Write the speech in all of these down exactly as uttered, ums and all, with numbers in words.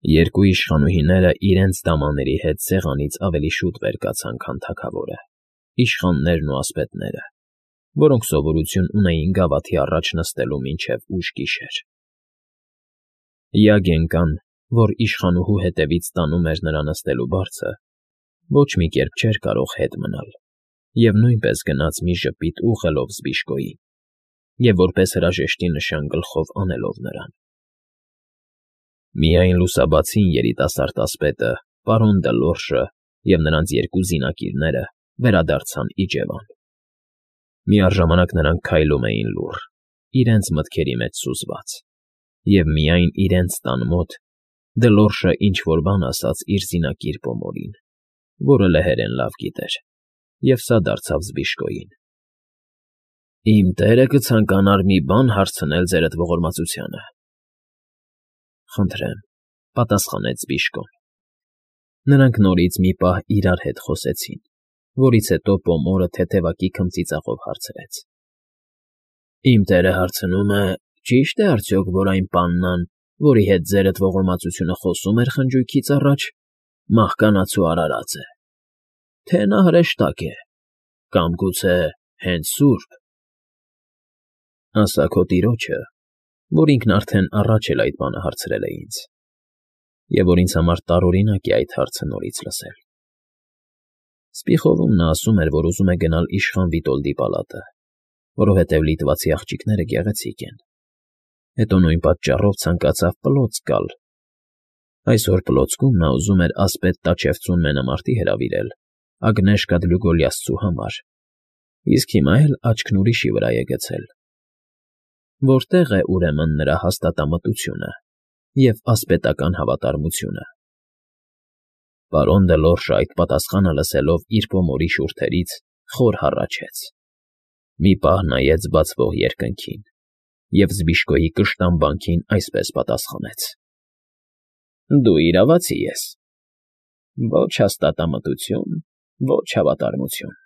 Երկու իշխանուհիները իրենց դամաների հետ սեղանից ավելի շուտ վեր կացան, քան թագավորը, իշխաններն ու ասպետները, որոնք սովորություն ունեին գավաթի առաջ նստելու մինչև ուշ գիշեր. Յագ էնկան, որ իշխանուհու հետևից տանում էր նրա նստելու բարձը, ոչ մի կերպ չէր կարող հետ մնալ և նույնպես գնաց մի ժպիտ ուղղելով Զբիշկոյին և որպես հրաժեշտի նշան գլխով անելով նրան. Միայն լուսաբացին երիտասարդ ասպետը, պարոն Դլորշը և նրանց երկու զինակիրները վերադարձան իջևան. միառժամանակ նրանք քայլում էին լուռ, իրենց մտքերի մեջ սուզված, և միայն իրենց տան մոտ Դլորշը ինչ֊որ բան ասաց իր զինակիր Պոմորին, որը լեհերեն լավ գիտեր, և սա դարձավ Զբիշկոյին. Իմ տերը կցանկանար մի բան հարցնել ձերդ ողորմածությանը։ ֊ Խնդրեմ,֊ պատասխանեց Զբիշկոն։ Նրանք նորից մի պահ իրար հետ խոսեցին, որից հետո Պոմորը թեթևակի քմծիծաղով հարցրեց. ֊ Իմ տերը հարցնում է. ճի՞շտ է արդյոք, որ այն պաննան, որի հետ ձերդ ողորմածությունը խոսում էր խնջույքից առաջ, մահկանաց ու արարած է, թե նա հրեշտակ է, կամ գուցե հենց սուրբ։ ֊ Ասա քո տիրոջը, որ ինքն արդեն առաջ էլ այդ բանը հարցրել է ինձ, և որ ինձ համար տարօրինակ է այդ հարցը նորից լսել։ Սպիխովում նա ասում էր, որ ուզում է գնալ իշխան Վիտոլդի պալատը, որովհետև լիտվացի աղջիկները գեղեցիկ են, հետո նույն պատճառով ցանկացավ պլոց գալ. այսօր պլոցքում նա ուզում էր ասպետ Տաչևցուն մենամարտի հրավիրել Ագնեշկա Դլուգոլիասցու համար, իսկ հիմա էլ աչքն ուրիշի վրա է գցել. որտե՞ղ է, ուրեմն, նրա հաստատամտությունը և ասպետական հավատարմությունը։ Պարոն Դլորշը այդ պատասխանը լսելով իր Պոմորի շուրթերից խոր հառաչեց, մի պահ նայեց բացվող երկնքին և Զբիշկոյի կշտամբանքին այսպես պատասխանեց. Դու իրավացի ես. ոչ հաստատամտություն, ոչ հավատարմություն։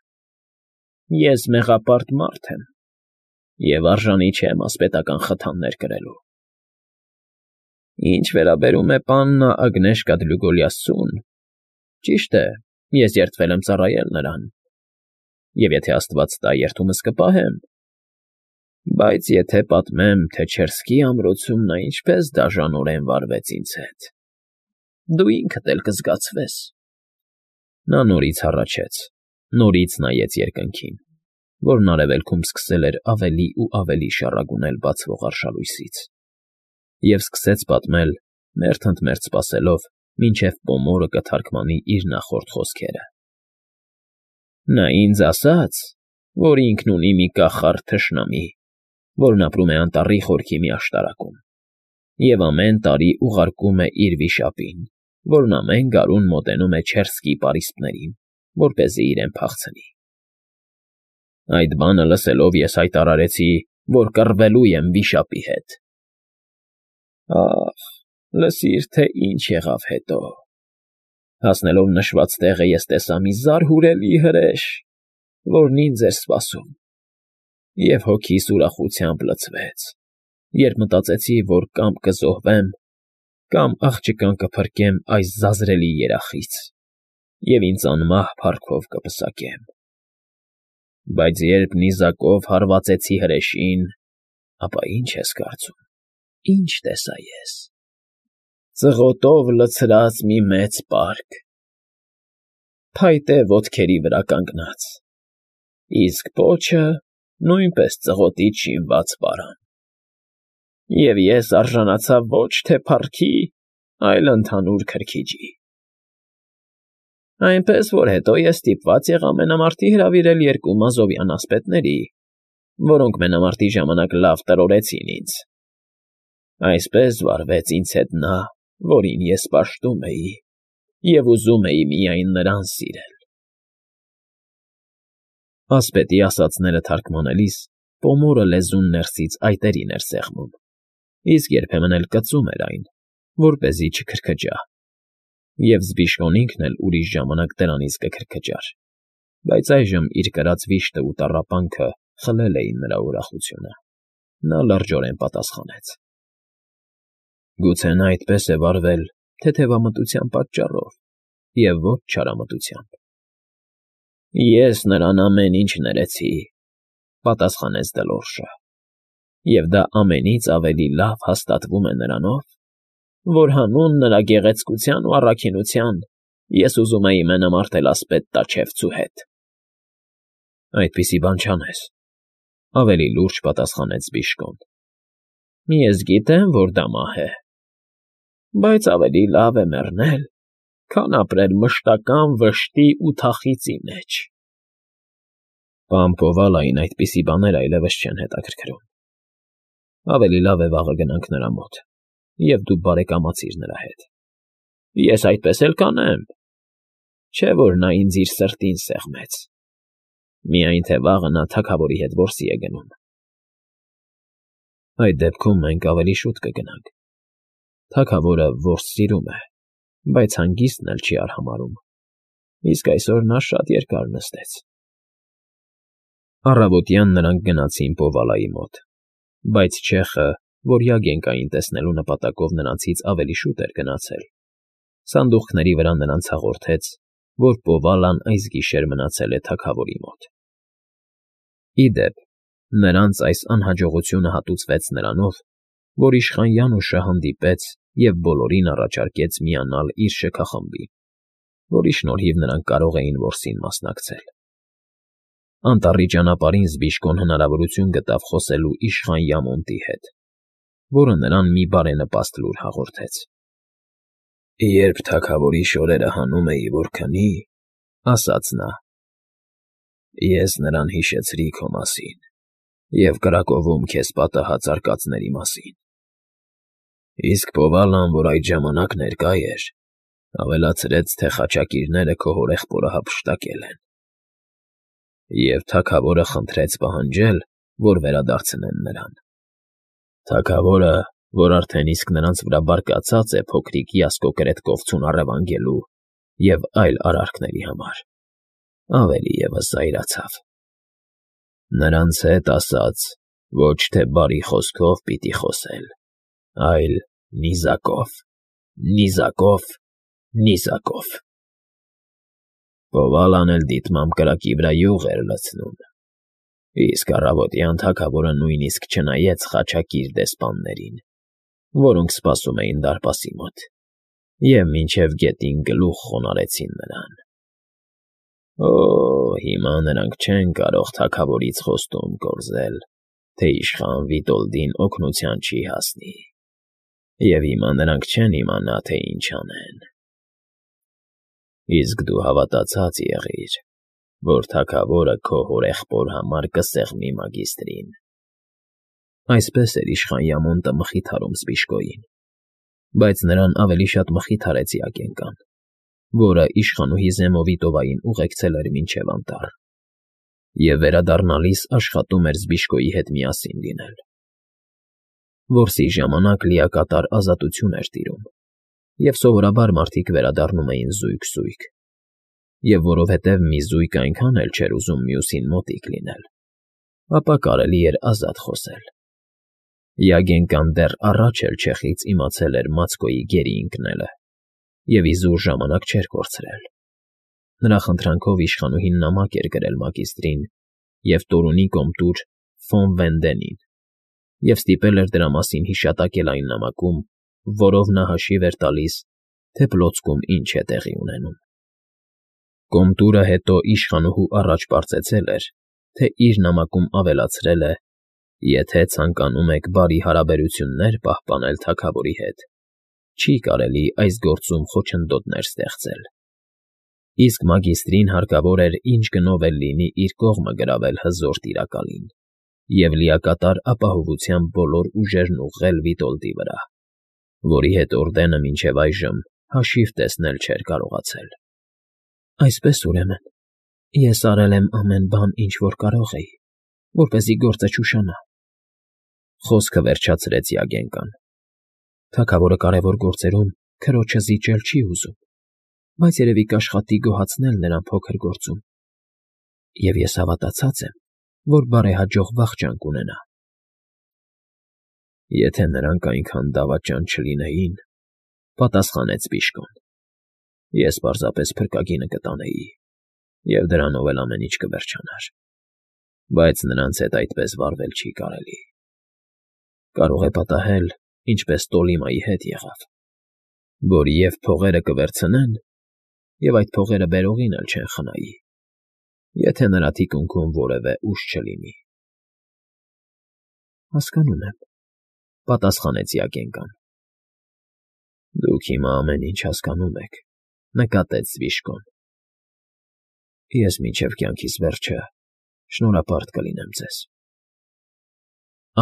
Ես մեղապարտ մարդ եմ և արժանի չեմ ասպետական խթաններ կրելու։ Ինչ վերաբերում է պաննա Ագնեշկա Դլուգոլիասցուն, ճիշտ է, ես երդվել եմ ծառայել նրան, և եթե աստված տա, երդումս կպահեմ, բայց եթե պատմեմ, թե Չերսկի ամրոցում նա ինչպես դաժանորեն վարվեց ինձ հետ, դու ինքդ էլ կզգացվես։ Նա նորից հառաչեց, նորից նայեց երկնքին, որն արևելքում սկսել էր ավելի ու ավելի շառագունել բացվող արշալույսից, և սկսեց պատմել, մերթ ընդ մերթ սպասելով, մինչև Պոմորը կթարգմանի իր նախորդ խոսքերը. Նա ինձ ասաց, որ ինքն ունի մի կախարդ թշնամի, որն ապրում է անտառի խորքի մի աշտարակում, և ամեն տարի ուղարկում է իր վիշապին, որն ամեն գարուն մոտենում է Չերսկի պարիսպներին, որպեսզի իրեն փախցնի։ Այդ բանը լսելով ես հայտարարեցի, որ կռվելու եմ վիշապի հետ։ Ախ, լսիր, թե ինչ եղավ հետո. հասնելով նշված տեղը ես տեսա մի զարհուրելի հրեշ, որն ինձ էր սպասում, և հոգիս ուրախությամբ լցվեց, երբ մտածեցի, որ կամ կզոհվեմ, կամ աղջկան կփրկեմ այս ձազրելի երախից և ինձ անմահ փառքով կպսակեմ։ Բայց երբ նիզակով հարվածեցի հրեշին, ապա ի՞նչ ես կարծում, ինչ տեսա ես. ծղոտով լցրած մի մեծ պարկ, փայտե ոտքերի վրա կանգնած, իսկ պոչը նույնպես ծղոտից շինված պարան, և ես արժանացա ոչ թե փառքի, այլ ընդհանուր քրքիջի։ Այնպես որ հետո ես ստիպված եղա մենամարտի հրավիրել երկու մազովյան ասպետների, որոնք մենամարտի ժամանակ լավ տրորեցին ինձ։ Այսպես վարվեց ինձ հետ նա, որին ես պաշտում էի և ուզում էի միայն նրան սիրել։ Ասպետի ասածները թարգմանելիս Պոմորը լեզուն ներսից այտերին էր սեղմում, իսկ երբեմն էլ կծում էր այն, որպեսզի չքրքջա, և Զբիշկոն ինքն էլ ուրիշ ժամանակ դրանից կքրքջար, բայց այժմ իր կրած վիշտը ու տառապանքը խլել էին նրա ուրախությունը։ Նա լրջորեն պատասխանեց. Գուցե նա այդպես է վարվել, թեթևամտության պատճառով և ոչ չարամտությամբ։ Ես նրան ամեն ինչ ներեցի, պատասխանեց Դլորշը, և դա ամենից ավելի լավ հաստատվում է նրանով, որ հանուն նրա գեղեցկության ու առաքինության ես ուզում էի մենամարտել ասպետ տաչևցու հետ։ Այդպիսի բան չանես, ավելի լուրջ պատասխանեց Բիժկոն։ Ես գիտեմ, որ դա մահ է, բայց ավելի լավ է մեռնել, քան ապրել մշտական վշտի ու թախծի մեջ։ Պարոն Պովալային այդպիսի բաներ այլևս չեն հետաքրքրում, ավելի լավ է վաղը գնանք նրա մոտ, և դու բարեկամացիր նրա հետ։ Ես այդպես էլ կանեմ, չէ՞ որ նա ինձ իր սրտին սեղմեց, միայն թե վաղը նա թագավորի հետ որսի է գնում։ Այդ դեպքում մենք ավելի շուտ կգնանք, թագավորը որս սիրում է, բայց հանգիստն էլ չի արհամարհում, իսկ այսօր նա շատ երկար նստեց։ Առավոտյան նրանք գնացին Պովալայի մոտ, բայց չեխը, որ Յագենկային տեսնելու նպատակով նրանցից ավելի շուտ էր գնացել, սանդուղքների վրա նրանց հաղորդեց, որ Պովալան այս գիշեր մնացել է թագավորի մոտ։ Ի դեպ, նրանց այս անհաջողությունը հատուցվեց նրանով, որ իշխան Յանուշը հանդիպեց և բոլորին առաջարկեց միանալ իր շքախմբին, որի շնորհիվ նրանք կարող էին որսին մասնակցել։ Անտառի ճանապարհին Զբիժկոն հնարավորություն գտավ խոսելու իշխան Յամոնտի հետ, որը նրան մի բարենպաստ լուր հաղորդեց։ Երբ թագավորի շորերը հանում էի, որ քնի, ասաց նա, ես նրան հիշեցրի քո մասին և կրակովում քեզ պատահած արկածների մասին։ Իսկ Պովալան, որ այդ ժամանակ ներկա էր, ավելացրեց, թե խաչակիրները քո հորեղբորը հափշտակել են, և թագավորը խնդրեց պահանջել, որ վերադարձնեն նրան։ Թագավորը, որ արդեն իսկ նրանց վրա բարկացած է փոքրիկ Յասկո կրետկովցուն առևանգելու և այլ արարքների համար, ավելի ևս զայրացավ։ Նրանց հետ ասաց, ոչ թե բարի խոսքով պիտի խոսել, այլ նիզակով, նիզակով, նիզակով։ Պովալան էլ դիտմամբ կրակի վրա յուղ էր լցնում, իսկ առավոտյան թագավորը նույնիսկ չնայեց խաչակիր դեսպաններին, որոնք սպասում էին դարպասի մոտ, և մինչև գետին գլուխ խոնարհեցին նրան։ Օ՜, հիմա նրանք չեն կարող թագավորից խոստում կորզել, թե իշխան Վիտոլդին օգնության չի հասնի, և հիմա նրանք չեն իմանա, թե ինչ անեն։ Իսկ դու հավատացած եղիր, որ թագավորը քո հորեղբոր համար կսեղմի մագիստրին։ Այսպես էր իշխան Յամոնտը մխիթարում Զբիժկոյին, բայց նրան ավելի շատ մխիթարեց Յագենկան, որը իշխանուհի Զեմովիտովային ուղեկցել էր մինչև անտառ, և վերադառնալիս աշխատում էր Զբիժկոյի հետ միասին լինել։ Որսի ժամանակ լիակատար ազատություն էր տիրում, և սովորաբար մարդիկ վերադառնում էին զույգ֊զույգ, և որովհետև մի զույգ այնքան էլ չէր ուզում մյուսին մոտիկ լինել, ապա կարելի էր ազատ խոսել։ Յագենկան դեռ առաջ էլ չեխից իմացել էր Մացկոյի գերի ընկնելը և իզուր ժամանակ չէր կորցրել։ Նրա խնդրանքով իշխանուհին նամակ էր գրել մագիստրին և Տորունի կոմտուր Ֆոն Վենդենին և ստիպել էր դրա մասին հիշատակել այն նամակում, որով նա հաշիվ էր տալիս, թե Պլոցկում ինչ է տեղի ունենում։ Կոմտուրը հետո իշխանուհու առաջ պարծեցել էր, թե իր նամակում ավելացրել է. «Եթե ցանկանում եք բարի հարաբերություններ պահպանել թագավորի հետ, չի կարելի այս գործում խոչընդոտներ ստեղծել»։ Իսկ մագիստրին հարկավոր էր ինչ գնով էլ լինի իր կողմը գրավել հզոր տիրակալին և լիակատար ապահովությամբ բոլոր ուժերն ուղղել Վիտոլդի վրա, որի հետ օրդենը մինչև այժմ հաշիվ տեսնել չէր կարողացել։ Այսպես, ուրեմն, ես արել եմ ամեն բան, ինչ որ կարող էի, որպեսզի գործը չուշանա,֊ խոսքը վերջացրեց Յագենկան։ Թագավորը կարևոր գործերում քրոջը զիջել չի ուզում, բայց երևի կաշխատի գոհացնել նրան փոքր գործում, և ես հավատացած եմ, որ բարեհաջող վախճան կունենա։ Եթե նրանք այնքան դավաճան չլինեին, Պատասխանեց Բիժկոն։ Ես պարզապես փրկագինը կտանեի, և դրանով էլ ամեն ինչ կվերջանար, բայց նրանց հետ այդպես վարվել չի կարելի։ Կարող է պատահել, ինչպես Տոլիմայի հետ եղավ, որ և փողերը կվերցնեն, և այդ փողերը բերողին էլ չեն խնայի, եթե նրա թիկունքում որևէ ուժ չլինի։ Հասկանում եմ, պատասխանեց Յագենկան։ Դուք հիմա ամեն ինչ հասկանում եք, նկատեց Բիժկոն։ Ես մինչև կյանքիս վերջը շնորհապարտ կլինեմ ձեզ։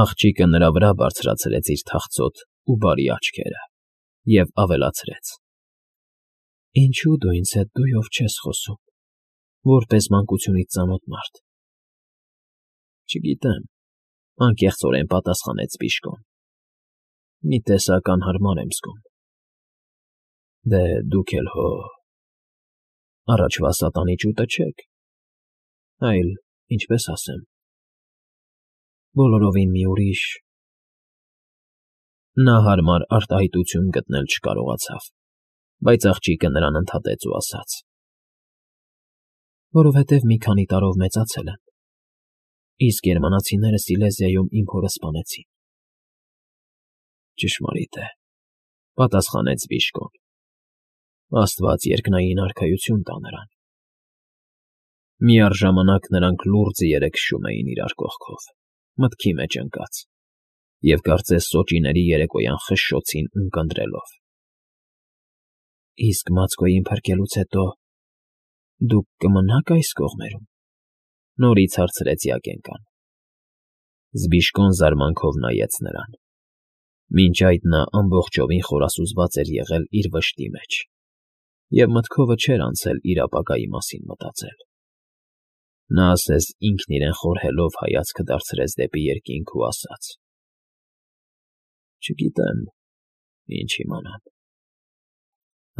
Աղջիկը նրա վրա բարձրացրեց իր թախծոտ ու բարի աչքերը և ավելացրեց. Ինչո՞ւ դու ինձ հետ դույով չես խոսում, որպես մանկությունից ծանոթ մարդ։ Չգիտեմ, անկեղծորեն պատասխանեց Բիժկոն։ Մի տեսակ անհարմար եմ զգում։ Դե դուք էլ հո… առաջվա սատանի ճուտը չեք, այլ, ինչպես ասեմ, բոլորովին մի ուրիշ… Նա հարմար արտահայտություն գտնել չկարողացավ, բայց աղջիկը նրան ընդհատեց ու ասաց. Որովհետև մի քանի տարով մեծացել եմ, իսկ գերմանացիները Սիլեզիայում իմ հորը սպանեցին։ Ճշմարիտ է, պատասխանեց Բիժկոն։ Աստված երկնային արքայություն տա նրան։ Միառժամանակ նրանք լուռ ձիեր քշում էին իրար կողքով, մտքի մեջ ընկած, և կարծես սոճիների երեկոյան խշշոցին ունկնդրելով։ Իսկ Մացկոյին փրկելուց հետո դուք կմնա՞ք այս կողմերում, նորից հարցրեց Յագենկան։ Բիժկոն զարմանքով նայեց նրան։ Մինչ այդ նա ամբողջովին խորասուզված էր եղել իր վշտի մեջ, և մտքովը չէր անցել իր ապագայի մասին մտածել։ Նա ասես ինքն իրեն խորհելով հայացքը դարձրեց դեպի երկինք ու ասաց. Չգիտեմ, ինչ իմանամ։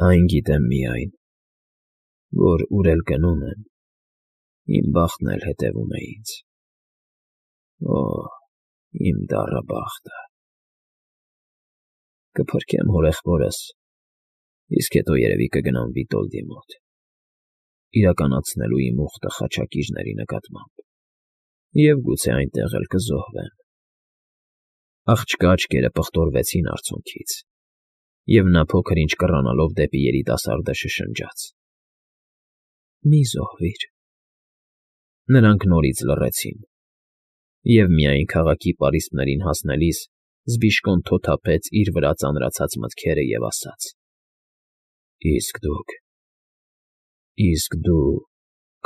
Այն գիտեմ միայն, որ ուր էլ գնում եմ, իմ բախտն էլ հետևում է ինձ։ Օ՜, իմ դառը բախտը… Կփրկեմ հորեղբորս, իսկ հետո երևի կգնամ Վիտոլդի մոտ, իրականացնելու իմ ուխտը խաչակիրների նկատմամբ, և գուցե այնտեղ էլ կզոհվեմ։ Աղջկա աչքերը պղտորվեցին արցունքից, և նա փոքր֊ինչ կռանալով դեպի երիտասարդը շշնջաց. Մի զոհվիր։ Նրանք նորից լռեցին, և միայն քաղաքի պարիսպներին հասնելիս Բիժկոն թոթափեց իր վրա ծանրացած մտքերը և ասաց. Իսկ դուք… իսկ դու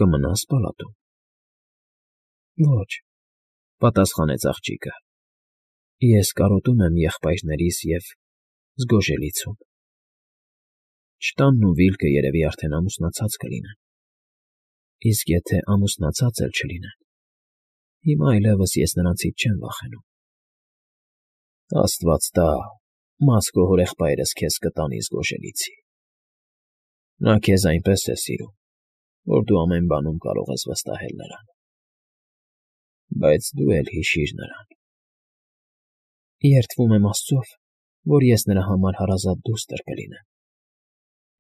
կմնա՞ս պալատում։ Ոչ, պատասխանեց աղջիկը, ես կարոտում եմ եղբայրներիս և զգոժելիցում։ Չտանն ու Վիլկը երևի արդեն ամուսնացած կլինեն, իսկ եթե ամուսնացած էլ չլինեն, հիմա այլևս ես նրանցից չեմ վախենում։ Աստված տա, Մացկո հորեղբայրս քեզ կտանի զգոժելիցի։ Նա քեզ այնպես է սիրում, որ դու ամեն բանում կարող ես վստահել նրան։ Բայց դու էլ հիշիր նրան։ Երդվում եմ Աստծով, որ ես նրա համար հարազատ դուստր կլինեմ։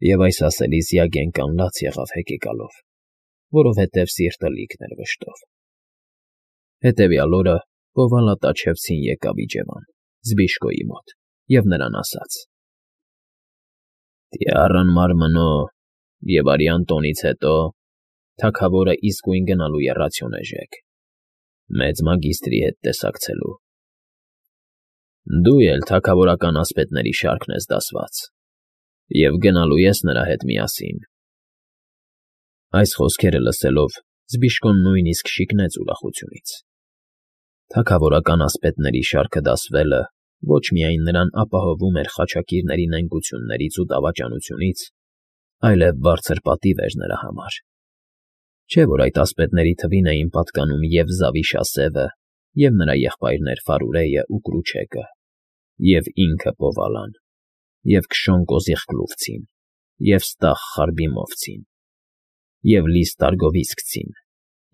Եվ այս ասելիս Յագենկան լաց եղավ հեկեկալով, որովհետև սիրտը լիքն էր վշտով։ Հետևյալ օրը Պովալատաչևցին եկավ իջևան Զբիժկոյի մոտ և նրան ասաց. Տյառն մարմնո և արյան տոնից հետո թագավորը իսկույն գնալու է Ռացիոնեժեկ, մեծ մագիստրի հետ տեսակցելու։ Դու էլ թագավորական ասպետների շարքն ես դասված, և գնալու ես նրա հետ միասին։ Այս խոսքերը լսելով Զբիժկոն նույնիսկ շիկնեց ուրախությունից։ Թագավորական ասպետների շարքը դասվելը ոչ միայն նրան ապահովում էր խաչակիրների նենգություններից ու դավաճանությունից, այլև բարձր պատիվ էր նրա համար։ Չէ՞ որ այդ ասպետների թվին էին պատկանում և Զավիշասևը, և նրա եղբայրներ Ֆարուրեյը ու Կրուչեկը, և ինքը Պովալան, և Քշոն Կոզիղկլուֆցին, և Ստախ Խարբիմովցին, և Լիս Տարգովիսկցին,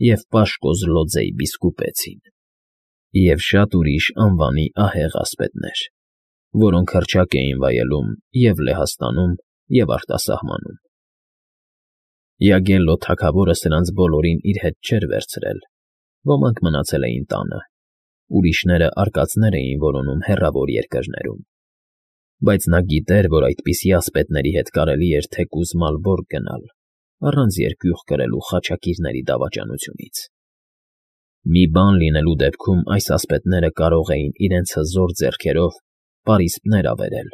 և Պաշկոզլոձեյ Բիսկուպեցին, և շատ ուրիշ անվանի ահեղ ասպետներ, որոնք հռչակ էին վայելում և Լեհաստանում, և արտասահմանում։ Յագելլո թագավորը սրանց բոլորին իր հետ չէր վերցրել, ոմանք մնացել էին տանը, ուրիշները արկածներ էին որոնում հեռավոր երկրներում, բայց նա գիտեր, որ այդպիսի ասպետների հետ կարելի էր թեկուզ Մալբորգ գնալ, առանց երկյուղ կրելու խաչակիրների դավաճանությունից։ Մի բան լինելու դեպքում այս ասպետները կարող էին իրենց հզոր ձեռքերով պարիսպներ ավերել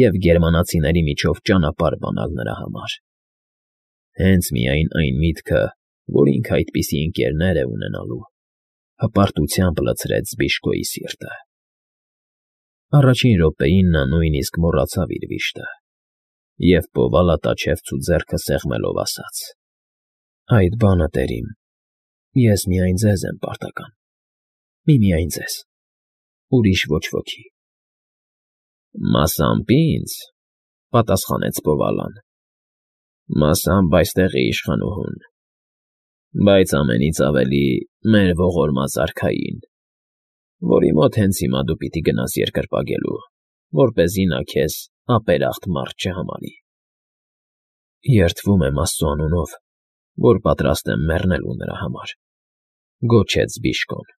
և գերմանացիների միջով ճանապարհ բանալ նրա համար։ Հենց միայն այն միտքը, որ ինքը այդպիսի ընկերներ է ունենալու, հպարտությամբ լցրեց Զբիշկոյի սիրտը։ Առաջին րոպեին նա նույնիսկ մոռացավ իր վիշտը և պովալ ատաչևց ու ձեռքը սեղմելով ասաց. «Այդ բանը, տերիմ, ես միայն ձեզ եմ պարտական, միմիայն ձեզ, ուրիշ ոչ ոքի»։ «Մասամբ ինձ,֊ պատասխանեց Պովալան,֊ մասամբ այստեղի իշխանուհուն, բայց ամենից ավելի մեր ողորմած արքային, որի մոտ հենց հիմա դու պիտի գնաս երկրպագելու, որպեսզի նա քեզ ապերախտ մարդ չհամարի»։ «Երդվում եմ Աստծու անունով, որ պատրաստ եմ մեռնելու նրա համար»,֊ գոչեց Զբիշկոն։